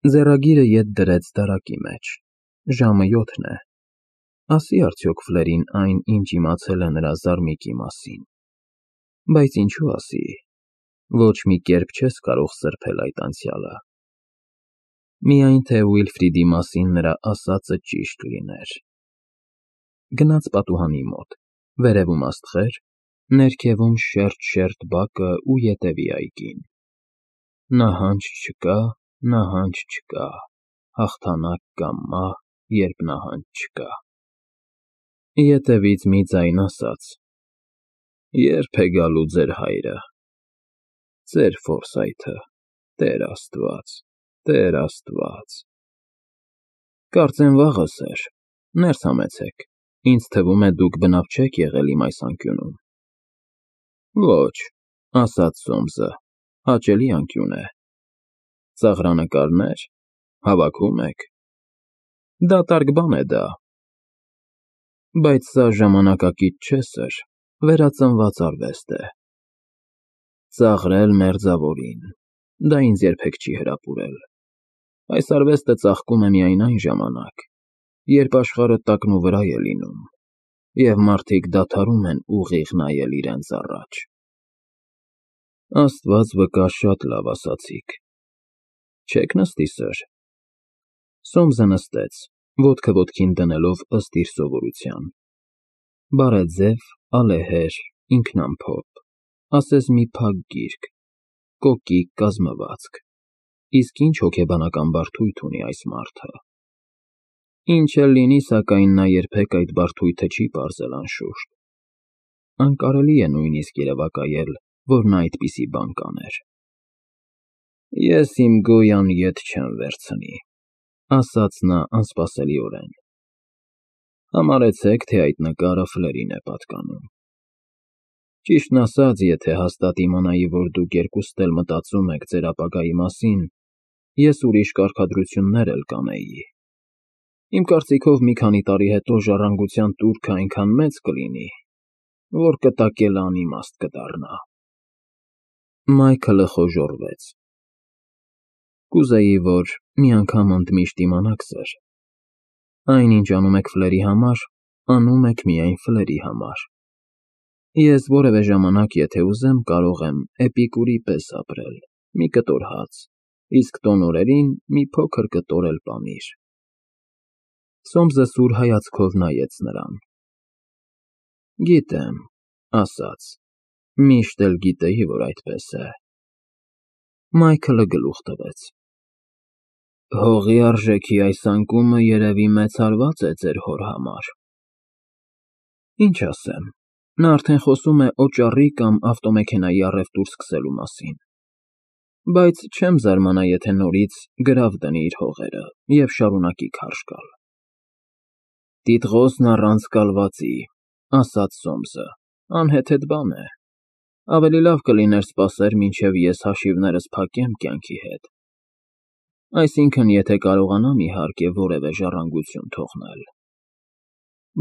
Ձեռագիրը ետ դրեց դարակի մեջ։ Ժամը 7 է։ Ասի արդյոք Ֆլերին այն, ինչ իմացել է նրա զարմիկի մասին։ Բայց ինչու ասի, ոչ մի կերպ չես կարող սրբել այդ անցյալը։ Միայն թե Ուիլֆրիդի մասին նրա ասածը ճիշտ լիներ։ Գնաց պատուհանի մոտ, վերևում աստղեր, ներքևում շերտ բակը ու ետևի այգին։ Նահանջ չկա, հաղթանակ կամ մահ, երբ նահանջ չկա։ Ետևից մի ձայն ասաց. «Ե՞րբ է գալու ձեր հայրը, ձեր Ֆորսայթը, Տեր Աստված»։ Կարծեմ վաղը, սըր, ներս համեցեք, ինձ թվում է դուք բնավ չեք եղել իմ այս անկյունում։ Ոչ, ասաց Սոմսը, հաճելի անկյուն է։ Ծաղրանկարներ, հավաքում եք։ Դատարկ բան է դա։ Բայց սա ժամանակակից չէ, սըր, վերածնված արվեստ է։ Ծաղրել մերձավորին, դա ինձ երբեք չի հրապուրել։ Այս արվեստը ծաղկում է միայն այն ժամանակ, երբ աշխարհը տակնուվրա է լինում, և մարդիկ դադարում են ուղիղ նայել իրենց առաջ։ Աստված վկա, շատ լավ ասացիք։ Չե՞ք նստի, սըր։ Սոմսը նստեց, ոտքը ոտքին դնելով ըստ իր սովորության։ Բարեձև, ալեհեր, ինքնամփոփ, ասես մի փակ գիրք, կոկիկ կազմվածք, իսկ ինչ հոգեբանական բարդույթ ունի այս մարդը։ Ինչ էլ լինի, սակայն նա երբեք այդ բարդույթը չի պարզել անշուշտ։ Անկարելի է նույնիսկ երևակայել, որ նա այդպիսի բան կաներ։ Ես իմ գոյան ետ չեմ վերցնի, ասաց նա անսպասելիորեն։ Համարեցեք, թե այդ նկարը Ֆլերին է պատկանում։ Ճիշտն ասած, եթե հաստատ իմանայի, որ դուք երկուստ էլ մտածում եք ձեր ապագայի մասին, ես ուրիշ կարգադրություններ էլ կանեի։ Իմ կարծիքով մի քանի տարի հետո ժառանգության տուրքը այնքան մեծ կլինի, որ կտակելը անիմաստ կդառնա։ Մայքլը խոժոռվեց։ Կուզեի, որ մի անգամ ընդմիշտ իմանաք, սըր, այն, ինչ անում եք Ֆլերի համար, անում եք միայն Ֆլերի համար։ Ես որևէ ժամանակ, եթե ուզեմ, կարող եմ Էպիկուրի պես ապրել, մի կտոր հաց, իսկ տոն օրերին մի փոքր կտոր էլ պանիր։ Սոմսը սուր հայացքով նայեց նրան։ Գիտեմ, ասաց, միշտ էլ գիտեի, որ այդպես է։ Մայքլը գլուխ տվեց։ Հողի արժեքի այս անկումը երևի մեծարված է ձեր հոր համար։ Ինչ ասեմ, նա արդեն խոսում է օճառի կամ ավտոմեքենայի առևտուր սկսելու մասին։ Բայց չեմ զարմանա, եթե նորից գրավ դնի իր հողերը և շարունակի քարշ գալ։ Տիտղոսն առանց կալվածի, ասաց Սոմսը, անհեթեթ բան է։ Ավելի լավ կլիներ սպասեր, մինչև ես հաշիվներս փակեմ կյանքի հետ։ Այսինքն, եթե կարողանամ, իհարկե, որևէ ժառանգություն թողնել։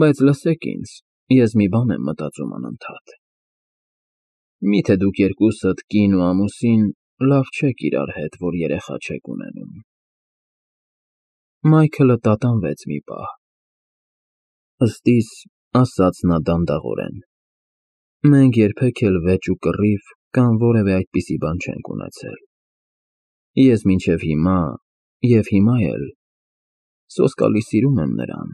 Բայց լսեք ինձ, ես մի բան եմ մտածում անընդհատ։ Միթե դուք երկուսդ կին ու ամուսին լավ չեք իրար հետ, որ երեխա չեք ունենում։ Մայքլը տատանվեց մի պահ։ Ըստիս, ասաց նա դանդաղորեն, մենք երբեք էլ վեճ ու կռիվ կամ որևէ այդպիսի բան չենք ունեցել։ Ես մինչև հիմա և հիմա էլ սոսկալի սիրում եմ նրան,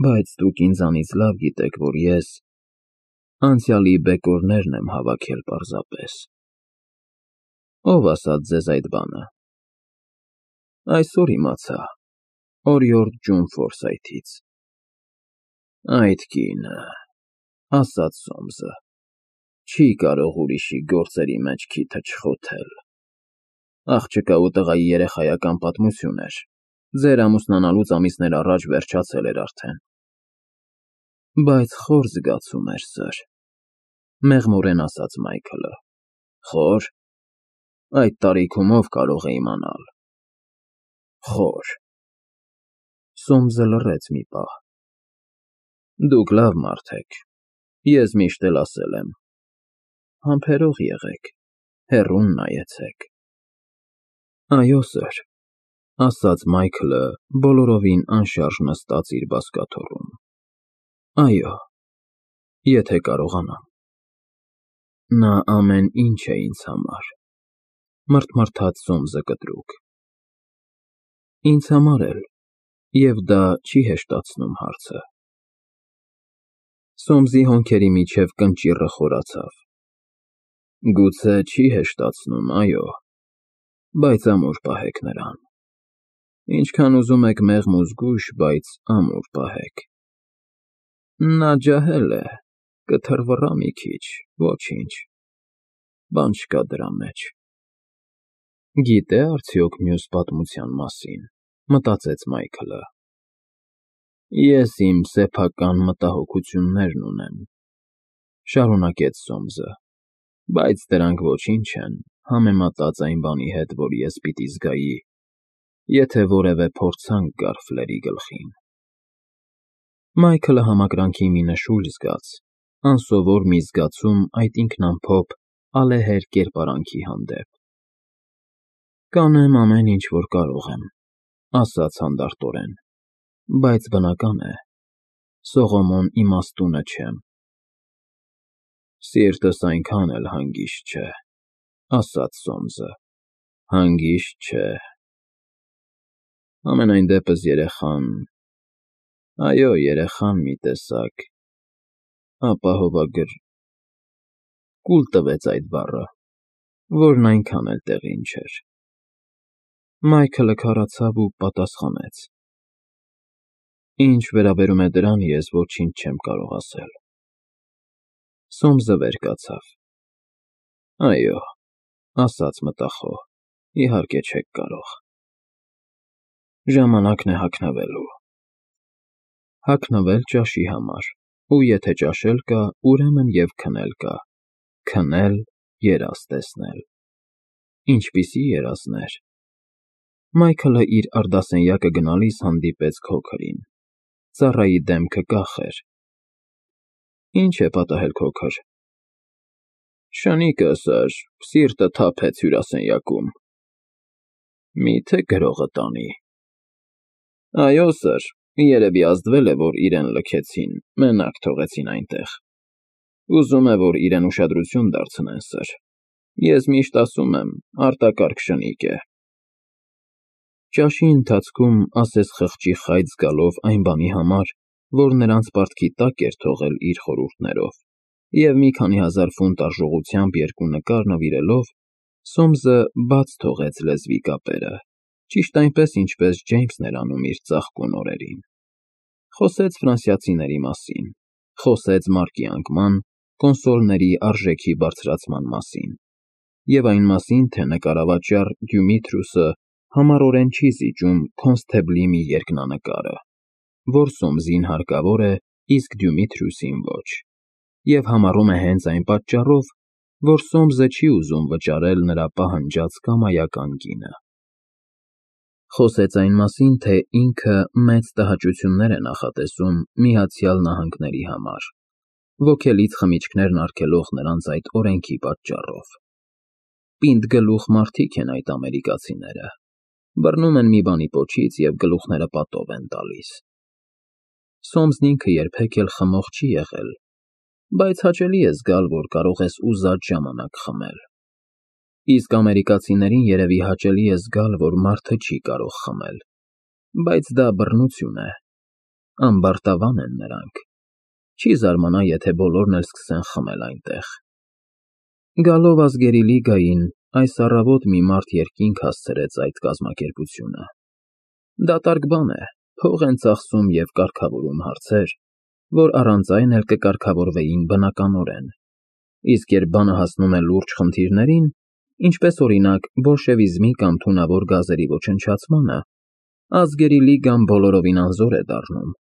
բայց դուք ինձանից լավ գիտեք, որ ես անցյալի բեկորներն եմ հավաքել պարզապես։ Ո՞վ ասաց ձեզ այդ բանը։ Այսօր իմացա, օրիորդ Ջոն Ֆորսայթից։ Այդ կինը, ասաց Սոմսը, չի կարող ուրիշի գործերի մեջ քիթը չխոթել։ Աղջկա ու տղայի երեխայական պատմություն էր, ձեր ամուսնանալուց ամիսներ առաջ վերջացել էր արդեն։ Բայց խոր զգացում էր, սըր, մեղմորեն ասաց Մայքլը։ Խոր։ Այդ տարիքում ով կարող է իմանալ։ Խոր։ Սոմսը լռեց մի պահ։ Դուք լավ մարդ եք, ես միշտ էլ ասել եմ։ Համբերող եղեք, հեռուն նայեցեք։ Այո, սըր, ասաց Մայքլը, բոլորովին անշարժ նստած իր բազկաթոռում։ Այո, եթե կարողանամ։ Նա ամեն ինչ է ինձ համար, մռթմռթաց Սոմսը կտրուկ։ Ինձ համար էլ, և դա չի հեշտացնում հարցը։ Սոմսի հոնքերի միջև կնճիռը խորացավ։ Գուցե չի հեշտացնում, այո, բայց ամուր պահեք նրան։ Ինչքան ուզում եք մեղմ ու զգույշ, բայց ամուր պահեք։ Նա ջահել է, կթռվռա մի քիչ, ոչինչ, բան չկա դրա մեջ։ Գիտե՞ արդյոք մյուս պատմության մասին, մտածեց Մայքլը։ Ես իմ սեփական մտահոգություններն ունեմ, շարունակեց Սոմսը, բայց դրանք ոչինչ են համեմատած այն բանի հետ, որ ես պիտի զգայի, եթե որևէ փորձանք գար Ֆլերի գլխին։ Մայքլը համակրանքի մի նշույլ զգաց, անսովոր մի զգացում այդ ինքնամփոփ, ալեհեր կերպարանքի հանդեպ։ Կանեմ ամեն ինչ, որ կարող եմ, ասաց հանդարտորեն, բայց բնական է, Սողոմոն իմաստունը չեմ։ Սիրտս այնքան էլ հանգիստ չէ, ասաց Սոմսը, հանգիստ չէ։ Համենայն դեպս երեխան, այո, երեխան մի տեսակ, ապահովագրի կուլ տվեց այդ բառը, որն այնքան էլ տեղին չէր։ Մայքլը քառացավ ու պատասխանեց. Ինչ վերաբերում է դրան, ես ոչինչ չեմ կարող ասել։ Սոմսը վեր կացավ։ Այո, ասաց մտախոհ, իհարկե չեք կարող։ Ժամանակն է հագնվելու։ Հագնվել ճաշի համար, ու եթե ճաշել կա, ուրեմն և քնել կա, քնել, երազ տեսնել։ Ինչպիսի երազներ։ Մայքլը իր արդասենյակը գնալիս հանդիպեց Քոքրին։ Ծառայի դեմքը կախ էր։ Ինչ է պատահել, Քոքր։ Շնիկը, սըր, սիրտը թափեց հյուրասենյակում։ Մի՞թե գրողը տանի։ Այո, սըր, երևի ազդվել է, որ իրեն լքեցին, մենակ թողեցին այնտեղ։ Ուզում է, որ իրեն ուշադրություն դարձնեն, սըր։ Ես միշտ ասում եմ, արտակարգ շնիկ է։ Ճաշի ընթացքում ասես խղճի խայծ զգալով այն բանի համար, որ նրանց պարտքի տակ էր թողել իր խորհուրդներով, և մի քանի հազար ֆունտ արժողությամբ երկու նկար նվիրելով, Սոմսը բաց թողեց լեզվի կապերը, ճիշտ այնպես, ինչպես Ջեյմսն էր անում իր ծաղկուն օրերին։ Խոսեց ֆրանսիացիների մասին, խոսեց մարկի անկման, կոնսոլների արժեքի բարձրացման մասին, և այն մասին, թե նկարավաճառ Դյումիթրուսը համառորեն չի զիջում քոնստեբլի մի երկնանկարը, որ Սոմսին հարկավոր է, իսկ Դյումիթրուսին ոչ, և համառում է հենց այն պատճառով, որ Սոմսը չի ուզում վճարել նրա պահանջած կամայական գինը։ Խոսեց այն մասին, թե ինքը մեծ տհաճություններ է նախատեսում Միացյալ Նահանգների համար, ոգելից խմիչքներն արգելող նրանց այդ օրենքի պատճառով։ Պինդ գլուխ մարդիկ են այդ ամերիկացիները, բռնում են մի բանի պոչից և գլուխները պատով են տալիս։ Սոմսն ինքը երբեք էլ խմող չի եղել, բայց հաճելի է զգալ, որ կարող ես ուզած ժամանակ խմել։ Իսկ ամերիկացիներին երևի հաճելի է զգալ, որ մարդը չի կարող խմել, բայց դա բռնություն է, ամբարտավան են նրանք, չի զարմանա, եթե բոլորն էլ սկսեն խմել այնտեղ։ Գալով Ազգերի լիգային, այս առավոտ մի մարդ երկինք հասցրեց այդ կազմակերպությունը։ Դատարկ բան է, փող են ծախսում և կարգավորում հարցեր, որ առանց այն էլ կկարգավորվեին բնականորեն, իսկ երբ բանը հասնում է լուրջ խնդիրներին, ինչպես օրինակ բոլշևիզմի կամ թունավոր գազերի ոչնչացմանը, Ազգերի լիգան բոլորովին անզոր է դառնում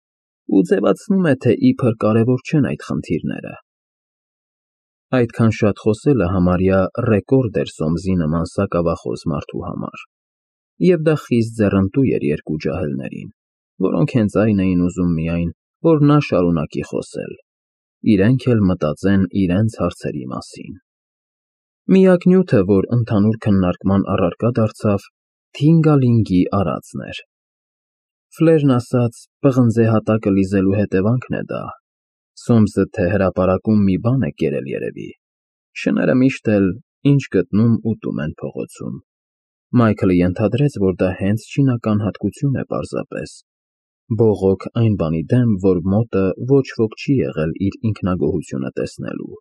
ու ձևացնում է, թե իբր կարևոր չեն այդ խնդիրները։ Այդքան շատ խոսելը համարյա ռեկորդ էր Սոմսի նման սակավախոս մարդու համար, և դա խիստ ձեռնտու էր երկու ջահելներին, որոնք հենց այն էին ուզում միայն, որ նա շարունակի խոսել, իրենք էլ մտածեն իրենց հարցերի մասին։ Միակ նյութը, որ ընդհանուր քննարկման առարկա դարձավ, Թինգալինգի արածն էր։ Ֆլերն ասաց, պղնձե հատակը լիզելու հետևանքն է դա։ Սոմսը թե հրապարակում մի բան է կերել երևի։ Շները միշտ էլ ինչ գտնում ուտում են փողոցում։ Մայքլը ենթադրեց, որ դա հենց չինական հատկություն է պարզապես։ Բողոք այն բանի դեմ, որ մոտը ոչ ոք չի եղել իր ինքնագոհությունը տեսնելու։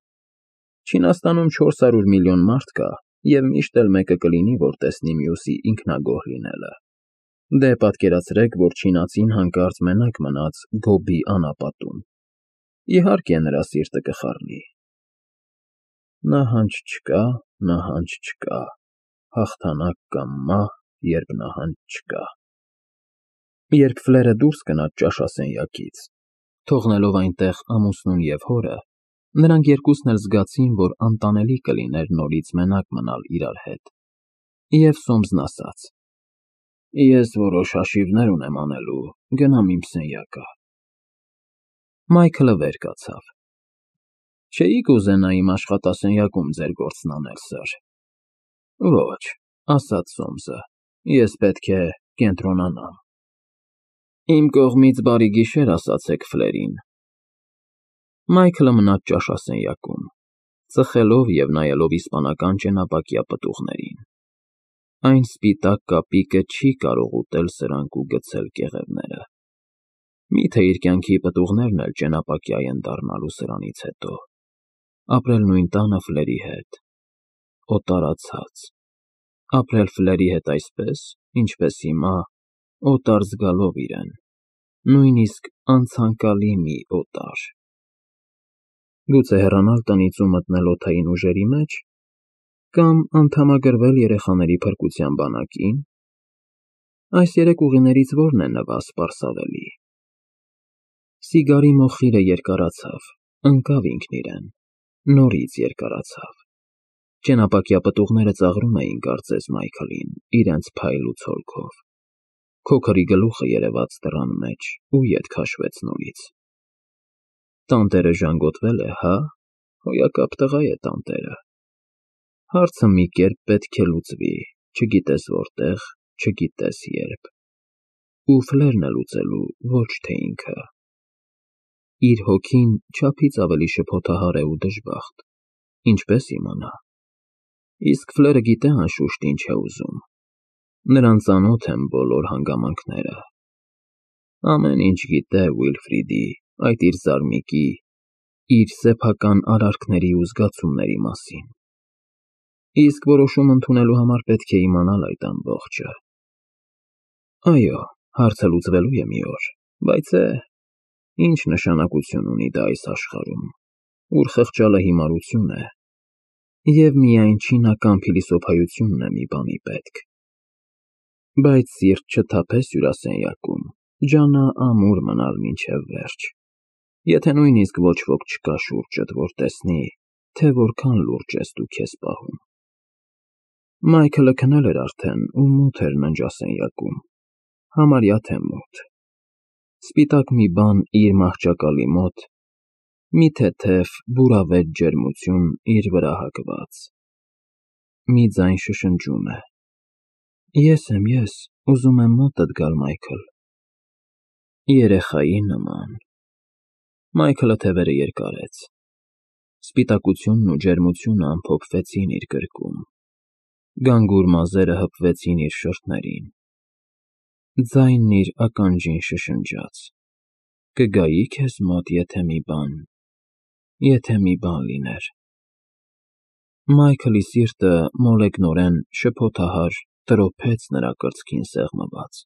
Չինաստանում 400 միլիոն մարդ կա, և միշտ էլ մեկը կլինի, որ տեսնի մյուսի ինքնագոհ լինելը։ Դե պատկերացրեք, որ չինացին հանկարծ մենակ մնաց Գոբի անապատում։ Իհարկե նրա սիրտը կխառնի։ Նահանջ չկա, հաղթանակ կամ մահ, երբ նահանջ չկա։ Երբ Ֆլերը դուրս գնաց ճաշասենյակից, թողնելով այնտեղ ամուսնուն և հորը, նրանք երկուսն էլ զգացին, որ անտանելի կլիներ նորից մենակ մնալ իրար հետ։ Եվ Սոմսն ասաց. Ես որոշ հաշիվներ ունեմ անելու, գնամ իմ սենյակը։ Մայքլը վեր կացավ։ Չէի՞ք ուզենա իմ աշխատասենյակում ձեր գործն անել, սըր։ Ոչ, ասաց Սոմսը, ես պետք է կենտրոնանամ։ Իմ կողմից բարի գիշեր ասացեք Ֆլերին։ Մայքլը մնաց ճաշասենյակում, ծխելով և նայելով իսպանական ճենապակյա պտուղներին։ Այն սպիտակ կապիկը չի կարող ուտել սրանք ու գցել կեղևները։ Միթե իր կյանքի պտուղներն էլ ճենապակյա են դառնալու սրանից հետո։ Ապրել նույն տանը Ֆլերի հետ։ Օտարացած։ Ապրել Ֆլերի հետ այսպես, ինչպես հիմա, օտար զգալով իրեն, նույնիսկ անցանկալի մի օտար։ Գուցե հեռանալ տնից ու մտնել օդային ուժերի մեջ, կամ անդամագրվել երեխաների փրկության բանակին։ Այս երեք ուղիներից որն է նվասպարսավելի։ Սիգարի մոխիրը երկարացավ, ընկավ ինքն իրեն, նորից երկարացավ։ Ճենապակյա պտուղները ծաղրում էին կարծես Մայքլին, իրենց փայլու ցոլքով։ Քոքրի գլուխը երևաց դռան մեջ ու ետ քաշվեց նորից։ Տանտերը ժանգոտվել է, հա՞, հոյակապ տղա է տանտերը։ Հարցը մի կերպ պետք է լուծվի, չգիտես որտեղ, չգիտես երբ։ Ու Ֆլերն է լուծելու, ոչ թե ինքը։ Իր հոգին չափից ավելի շփոթահար է ու դժբախտ, ինչպես իմանա։ Իսկ Ֆլերը գիտե անշուշտ ինչ է ուզում։ Նրան ծանոթ են բոլոր հանգամանքները։ Ամեն ինչ գիտե Ուիլֆրիդի, այդ իր զարմիկի, իր սեփական արարքների ու զգացումների մասին։ Իսկ որոշում ընդունելու համար պետք է իմանալ այդ ամբողջը։ Այո, հարցը լուծվելու է մի օր, բայց ինչ նշանակություն ունի դա այս աշխարհում, ուր խղճալը հիմարություն է, և միայն չինական փիլիսոփայությունն է մի բանի պետք։ Բայց սիրտ չթափես հյուրասենյակում, ջանա ամուր մնալ մինչև վերջ։ Եթե նույնիսկ ոչ ոք չկա շուրջդ, որ տեսնի, թե որքան լուրջ ես դու քեզ պահում։ Մայքլը քնել էր արդեն ու մութ էր ննջասենյակում, համարյա թե մութ։ Սպիտակ մի բան իր մահճակալի մոտ, մի թեթև, բուրավետ ջերմություն իր վրա հագված։ Մի ձայն շշնջում է. Ես եմ, ուզում եմ մոտդ գալ, Մայքլ։ Երեխայի նման։ Մայքլը թևերը երկարեց։ Սպիտակությունն ու ջերմությունը ամփոփվեցին իր գրկում։ Գանգուր մազերը հպվեցին իր շրթներին։ Ձայնն իր ականջին շշնջաց. Կգայի քեզ մոտ, եթե մի բան լիներ։ Մայքլի սիրտը մոլեգնորեն շփոթահար տրոփեց նրա կրծքին սեղմված։